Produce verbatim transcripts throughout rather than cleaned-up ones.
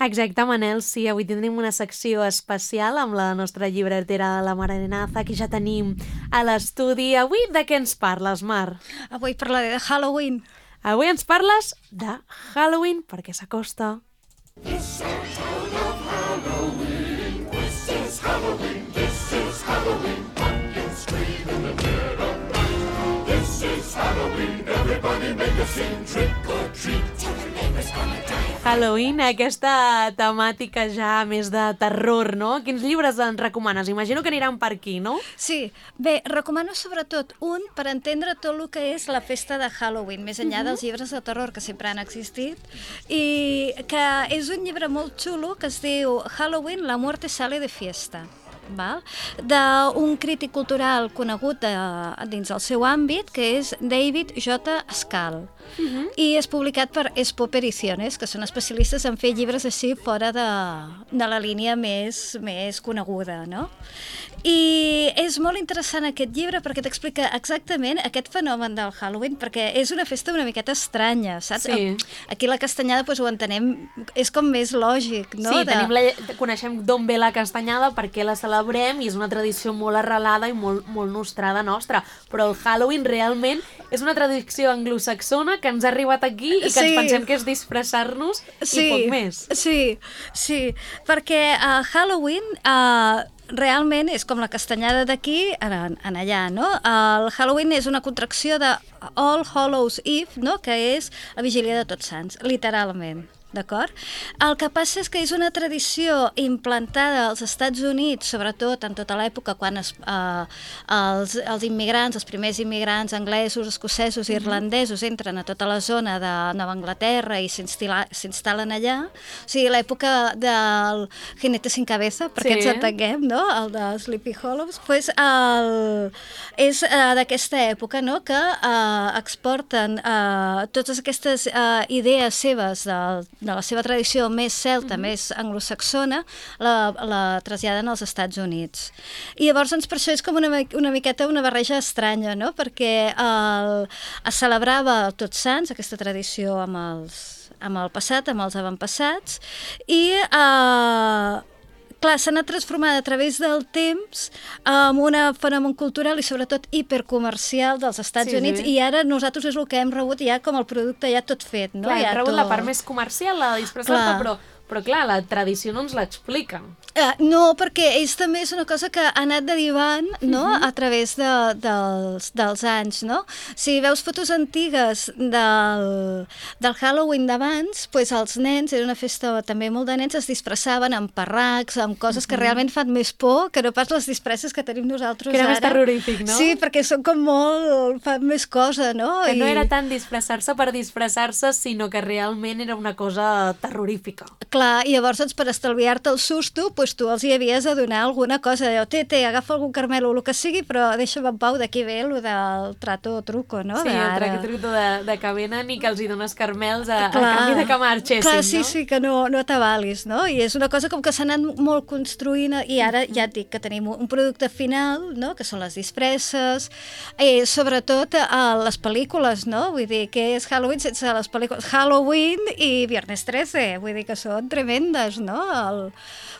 Exacte, Manel, sí, avui tenim una secció especial amb la nostra llibretera, la Mar Arenaza, que ja tenim a l'estudi. Avui de què ens parles, Mar? Avui parlaré de Halloween. Avui ens parles de Halloween perquè s'acosta. This is Halloween, this is Halloween, this is Halloween, pumpkins scream in the dead of night. This is Halloween, everybody make a scene, trick or treat, tell the neighbors gonna die. Halloween, aquesta temàtica ja més de terror, no? Quins llibres ens recomanes? Imagino que aniran per aquí, no? Sí, bé, recomano sobretot un per entendre tot el que és la festa de Halloween, més enllà uh-huh. dels llibres de terror que sempre han existit, i que és un llibre molt xulo que es diu Halloween, la muerte sale de fiesta. D'un crític cultural conegut de, dins el seu àmbit, que és David J. Skal. Uh-huh. I és publicat per Espop Ediciones, que són especialistes en fer llibres així fora de, de la línia més, més coneguda, no? I és molt interessant aquest llibre perquè t'explica exactament aquest fenomen del Halloween, perquè és una festa una miqueta estranya, saps? Sí. Aquí la castanyada doncs, ho entenem, és com més lògic, no? Sí, de... tenim la, coneixem d'on ve la castanyada, per què la celebrem, i és una tradició molt arrelada i molt, molt nostrada nostra, però el Halloween realment és una tradició anglosaxona que ens ha arribat aquí i que sí. ens pensem que és disfressar-nos sí. i poc més. Sí, sí, perquè a uh, Halloween... Uh, realment és com la castanyada d'aquí en, en allà, no? El Halloween és una contracció de All Hallows Eve, no? Que és la vigília de Tots Sants, literalment. D'acord? El que passa és que és una tradició implantada als Estats Units, sobretot en tota l'època quan es, eh, els, els immigrants, els primers immigrants anglesos, escocesos i irlandesos entren a tota la zona de Nova Anglaterra i s'instal·len allà. O sigui, l'època del Jinete sin cabeza, perquè sí. ens entenguem, no? El de Sleepy Hollows, pues el, és eh, d'aquesta època, no? Que eh, exporten eh, totes aquestes eh, idees seves del de la seva tradició més celta, mm-hmm. més anglosaxona, la, la traslladen als Estats Units. I llavors, doncs, per això és com una, una miqueta una barreja estranya, no? Perquè el, es celebrava Tots Sants, aquesta tradició amb, els, amb el passat, amb els avantpassats, i... Eh, clar, s'ha anat transformant a través del temps amb un fenomen cultural i sobretot hipercomercial dels Estats sí, Units sí. I ara nosaltres és el que hem rebut ja com el producte ja tot fet. No? Clar, ja hem rebut tot... la part més comercial, la de disfressar-te, però, però clar, la tradició no ens l'explica. Uh, no, perquè ells també és una cosa que ha anat derivant, no? Uh-huh. A través de, dels, dels anys, no? Si veus fotos antigues del, del Halloween d'abans, pues els nens, era una festa també molt de nens, es disfressaven amb parracs, amb coses uh-huh. que realment fan més por que no pas les disfresses que tenim nosaltres ara. Que era ara. Més terrorífic, no? Sí, perquè són com molt... fan més cosa, no? Que I... no era tant disfressar-se per disfressar-se, sinó que realment era una cosa terrorífica. Clar, i llavors, doncs, per estalviar-te el susto, doncs tu els hi havies de donar alguna cosa, de té, té, agafa algun carmel o el que sigui, però deixa'm en pau, d'aquí ve el del trato o truco, no? Sí, de el trato truco de, de que venen i que els hi dones carmels a, clar, a canvi de que marxessin, clar, no? sí, sí, que no, no t'avalis, no? I és una cosa com que s'ha anat molt construint i ara ja et dic que tenim un producte final, no? Que són les disfresses, i sobretot a les pel·lícules, no? Vull dir, que és Halloween sense les pel·lícules Halloween i Viernes trece, vull dir que són tremendes, no? El...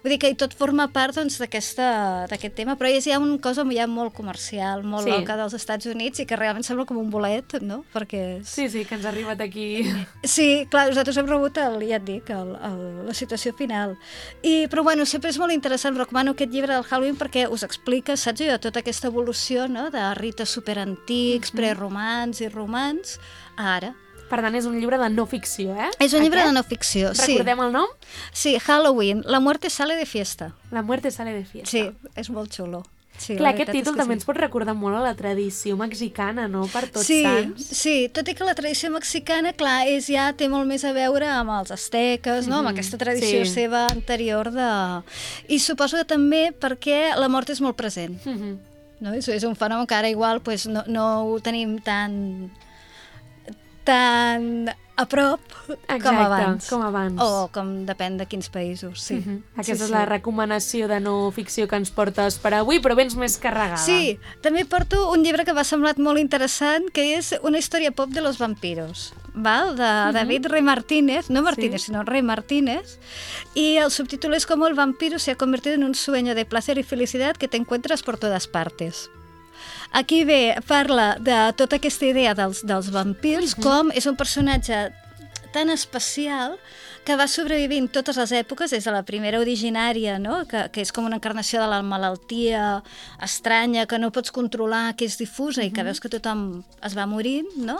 Vull dir que tot forma part doncs, d'aquest tema, però és ja una cosa ja molt comercial, molt sí. loca dels Estats Units i que realment sembla com un bolet, no? Perquè és... Sí, sí, que ens ha arribat aquí. Sí, clar, nosaltres hem rebut, el, ja et dic, el, el, la situació final. I, però bueno, sempre és molt interessant, recomano aquest llibre del Halloween perquè us explica, saps jo, tota aquesta evolució, no?, de rites superantics, mm-hmm. preromans i romans, a ara. Per tant, és un llibre de no ficció, eh? És un llibre Aquest? de no ficció, sí. Recordem el nom? Sí, Halloween, la muerte sale de fiesta. La muerte sale de fiesta. Sí, és molt xulo. Sí, clar, aquest títol també sí. ens pot recordar molt a la tradició mexicana, no?, per Tots sí, Sants. Sí, tot i que la tradició mexicana, clar, és, ja té molt més a veure amb els asteques, no?, mm-hmm. amb aquesta tradició sí. seva anterior de... I suposo que també perquè la mort és molt present. Mm-hmm. No? És, és un fenomen que ara igual pues, no, no ho tenim tan... tan a prop Exacte, com abans. com abans. O com depèn de quins països, sí. Uh-huh. Aquesta sí, és sí. la recomanació de no ficció que ens portes per avui, però vens més carregada. Sí, també porto un llibre que m'ha semblat molt interessant, que és Una història pop de los vampiros. val? De David Rey Martínez, no Martínez, Sí. sinó Rey Martínez, y el subtítulo es como el vampiro se ha convertido en un sueño de placer y felicidad que te encuentras por todas partes. Aquí ve, parla de tota aquesta idea dels, dels vampirs, com és un personatge tan especial que va sobrevivint totes les èpoques, des de la primera originària, no? que, que és com una encarnació de la malaltia estranya, que no pots controlar, que és difusa i que veus que tothom es va morint, no?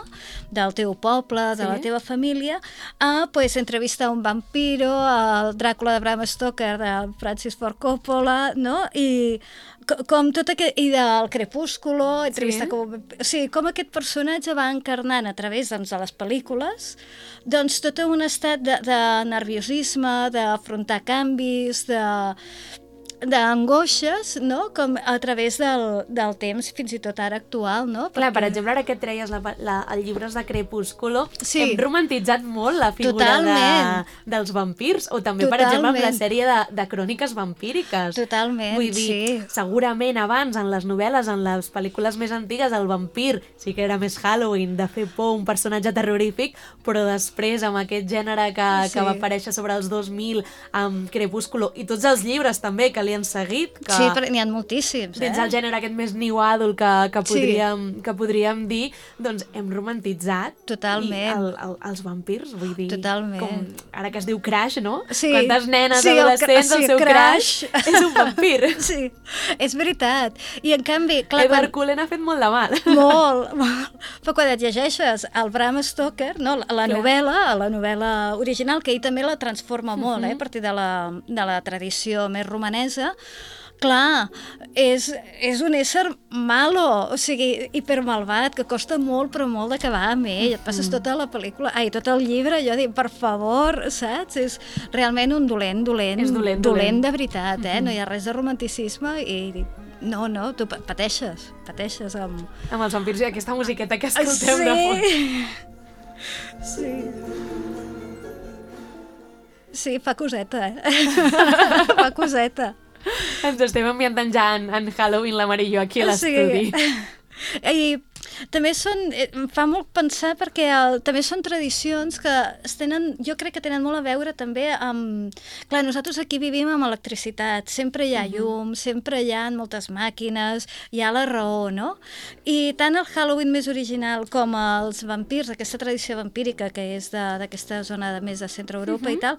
Del teu poble, de Sí. la teva família, a pues, entrevistar un vampiro, el Dràcula de Bram Stoker, de Francis Ford Coppola, no? I co- com tot aquest... I del Crepúsculo, entrevistar Sí. com... O sigui, com aquest personatge va encarnant a través doncs, de les pel·lícules doncs tot un estat de, de nerviosisme, d'afrontar canvis, de d'angoixes, no? Com a través del, del temps, fins i tot ara actual, no? Clar, per Perquè- exemple, ara que et treies la, la, el llibres de Crepúsculo, Sí. hem romantitzat molt la figura de, Totalment. dels vampirs, o també, per exemple, amb la Totalment. sèrie de, de cròniques vampíriques. Totalment, Vull dir, sí. segurament abans, en les novel·les, en les pel·lícules més antigues, el vampir sí que era més Halloween, de fer por, un personatge terrorífic, però després, amb aquest gènere que, Sí. que va aparèixer sobre els dos mil, amb Crepúsculo, i tots els llibres també que li han seguit, que Sí, però n'hi ha moltíssims, dins eh? el gènere aquest més new adult que, que, Sí. podríem, que podríem dir, doncs hem romantitzat Totalment. i el, el, els vampirs, vull dir, Totalment. com ara que es diu Crash, no? Sí. Quantes nenes Sí, el cra- adolescents, el, sí, seu Crash. Crash és un vampir. Sí, és veritat. I en canvi, clar, Edward Cullen ha fet molt de mal. Molt, molt. Però quan et llegeixes el Bram Stoker, no, la, la Clar. novel·la, la novel·la original, que ell també la transforma molt, eh, a partir de la, de la tradició més romanesa, clar, és, és un ésser malo, o sigui, hipermalvat, que costa molt, però molt d'acabar amb ell. Et passes tota la pel·lícula, ai, tot el llibre, jo dic, per favor, saps? És realment un dolent, dolent, És dolent, dolent dolent. de veritat, eh? No hi ha res de romanticisme i no, no, tu pa- pateixes, pateixes amb... Amb els vampirs i aquesta musiqueta que escoltem de fons. Sí. Sí. Sí, fa coseta, eh? Fa coseta. Ens estem ambientant ja en, en Halloween, la Mar i jo, aquí a l'estudi. I també són, eh, em fa molt pensar perquè el, també són tradicions que es tenen, jo crec que tenen molt a veure també amb... Clar, nosaltres aquí vivim amb electricitat, sempre hi ha llum, sempre hi ha moltes màquines, hi ha la raó, no? I tant el Halloween més original com els vampirs, aquesta tradició vampírica que és de- d'aquesta zona de, més de centre Europa i tal,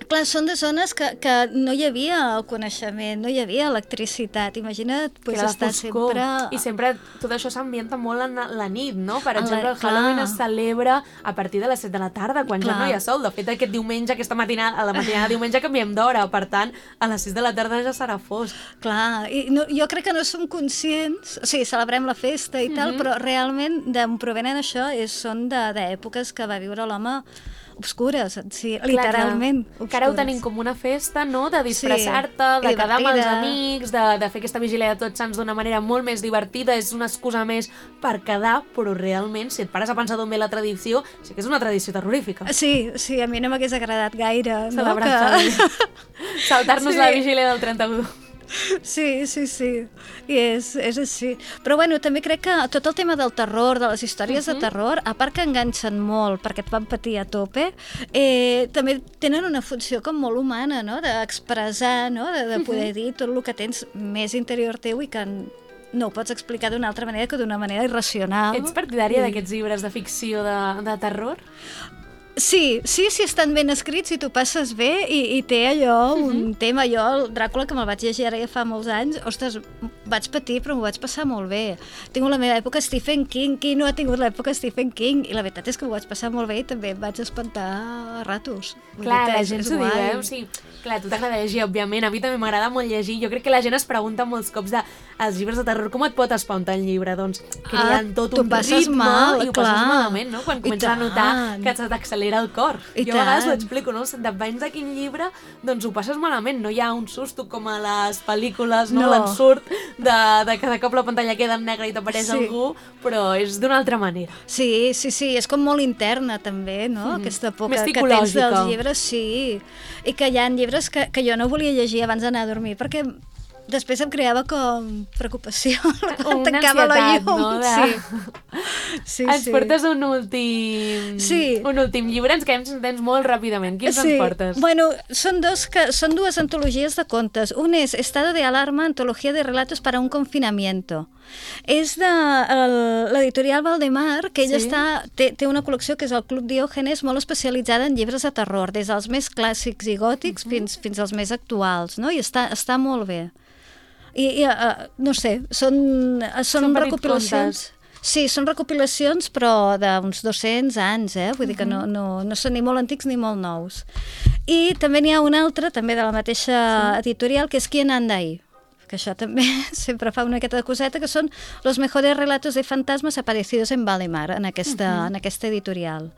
clar, són de zones que, que no hi havia el coneixement, no hi havia electricitat. Imagina't pues, Que era la estar foscor. sempre... I sempre tot això s'ambienta molt en la nit, no? Per En la- exemple, el clar. Halloween es celebra a partir de les set de la tarda, quan ja Clar. no hi ha sol. De fet, aquest diumenge, aquesta matinada, a la matinada de diumenge canviem d'hora, per tant, a les sis de la tarda ja serà fosc. Clar, i no, jo crec que no som conscients, o sigui, celebrem la festa i tal, però realment d'on provenen això és, són de- d'èpoques que va viure l'home obscures, sí, literalment Clar, que ara ho obscures. tenim com una festa, no?, de disfressar-te, Sí, de i quedar amb els divertida. amics, de, de fer aquesta vigília de Tots Sants d'una manera molt més divertida, és una excusa més per quedar, però realment, si et pares a pensar d'on ve la tradició, sí que és una tradició terrorífica. Sí, sí, a mi no m'hagués agradat gaire. Celebrar no? Halloween. Saltar-nos Sí. la vigília del trenta-u. Sí, sí, sí, i és, és així. Però bueno, també crec que tot el tema del terror, de les històries uh -huh. de terror, a part que enganxen molt perquè et fan patir a tope, eh, també tenen una funció com molt humana, no?, d'expressar, no?, de, de poder dir tot el que tens més interior teu i que no ho pots explicar d'una altra manera que d'una manera irracional. Ets partidària I- d'aquests llibres de ficció de, de terror? Sí, sí, sí, estan ben escrits i tu passes bé i, i té allò, un tema, jo el Dràcula que me'l vaig llegir ara ja fa molts anys, ostres, vaig patir però m'ho vaig passar molt bé. Tinc la meva època Stephen King, qui no ha tingut l'època Stephen King? I la veritat és que m'ho vaig passar molt bé i també em vaig espantar a ratos. Vull Clar, dir que la és- gent és s'ho diu, guai. eh? O sigui, clar, a tu t'agrada llegir, òbviament, a mi també m'agrada molt llegir. Jo crec que la gent es pregunta molts cops de els llibres de terror, com et pot espantar un llibre? Doncs creen Ah, tot t'ho un passes ritme mal, i ho passes clar. malament, no? Quan I comences a notar tant. que se t'accelera el cor. I jo a vegades ho tant. explico, no? Depèn de quin llibre, doncs ho passes malament. No hi ha un susto com a les pel·lícules, no? No. L'ensurt de, de cada cop la pantalla queda en negre i t'apareix Sí. algú, però és d'una altra manera. Sí, sí, sí, és com molt interna també, no? Aquesta por Més que, que tens psicològica. dels llibres, sí. I que hi ha llibres que, que jo no volia llegir abans d'anar a dormir, perquè després em creava com preocupació. Una Tancava la ansietat, llum. no? De... Sí. Sí, ens sí. portes un últim... Sí. Un últim llibre, ens quedem sentents molt ràpidament. Quins Sí. ens portes? Bueno, són, dos que, són dues antologies de contes. Un és Estado de Alarma, antología de relatos para un confinamiento. És de el- l'editorial Valdemar, que ella Sí. està, té, té una col·lecció que és el Club Diògenes, molt especialitzada en llibres de terror, des dels més clàssics i gòtics uh -huh. fins, fins als més actuals, no? I està, està molt bé. I, i uh, no sé, són, són, Són petits recopilacions... contes. Sí, són recopilacions, però d'uns dos-cents anys, eh? Vull dir que no, no, no són ni molt antics ni molt nous. I també n'hi ha un altre, també de la mateixa sí. editorial, que és Quién anda ahí, que això també sempre fa una miqueta de coseta, que són los mejores relatos de fantasmas aparecidos en Valdemar, en aquesta, uh -huh. en aquesta editorial.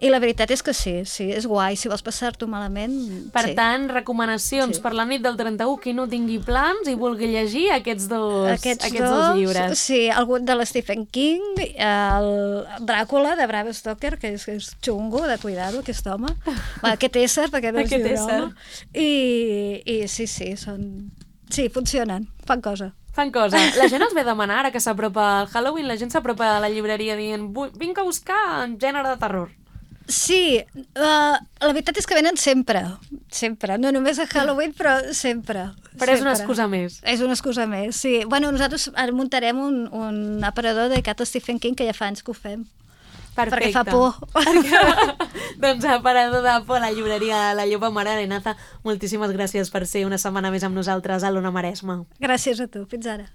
I la veritat és que sí, sí, és guai, si vols passar-t'ho malament... Per sí. tant, recomanacions Sí. per la nit del trenta-u, qui no tingui plans i vulgui llegir aquests dos, Aquests, aquests dos, dos llibres. Sí, algun de l'Stephen King, el Dràcula, de Bram Stoker, que és, és xungo, de cuidado, aquest home. Va, aquest ésser, perquè no es Aquest diu ésser. home. I, I sí, sí, són... Sí, funcionen, fan cosa. Fan cosa. La gent els ve a demanar, ara que s'apropa el Halloween, la gent s'apropa a la llibreria dient "Vull- vinc a buscar en gènere de terror". Sí, uh, la veritat és que venen sempre, sempre, no només a Halloween, però sempre. Però és una sempre. excusa més. És una excusa més, sí. Bueno, nosaltres ara muntarem un, un aparador dedicat a Stephen King, que ja fa anys que ho fem. Perfecte. Perquè fa por. Perquè... doncs aparador de por a la llibreria La Llopa Mare Arenaza. Moltíssimes gràcies per ser una setmana més amb nosaltres a l'Ona Maresma. Gràcies a tu, fins ara.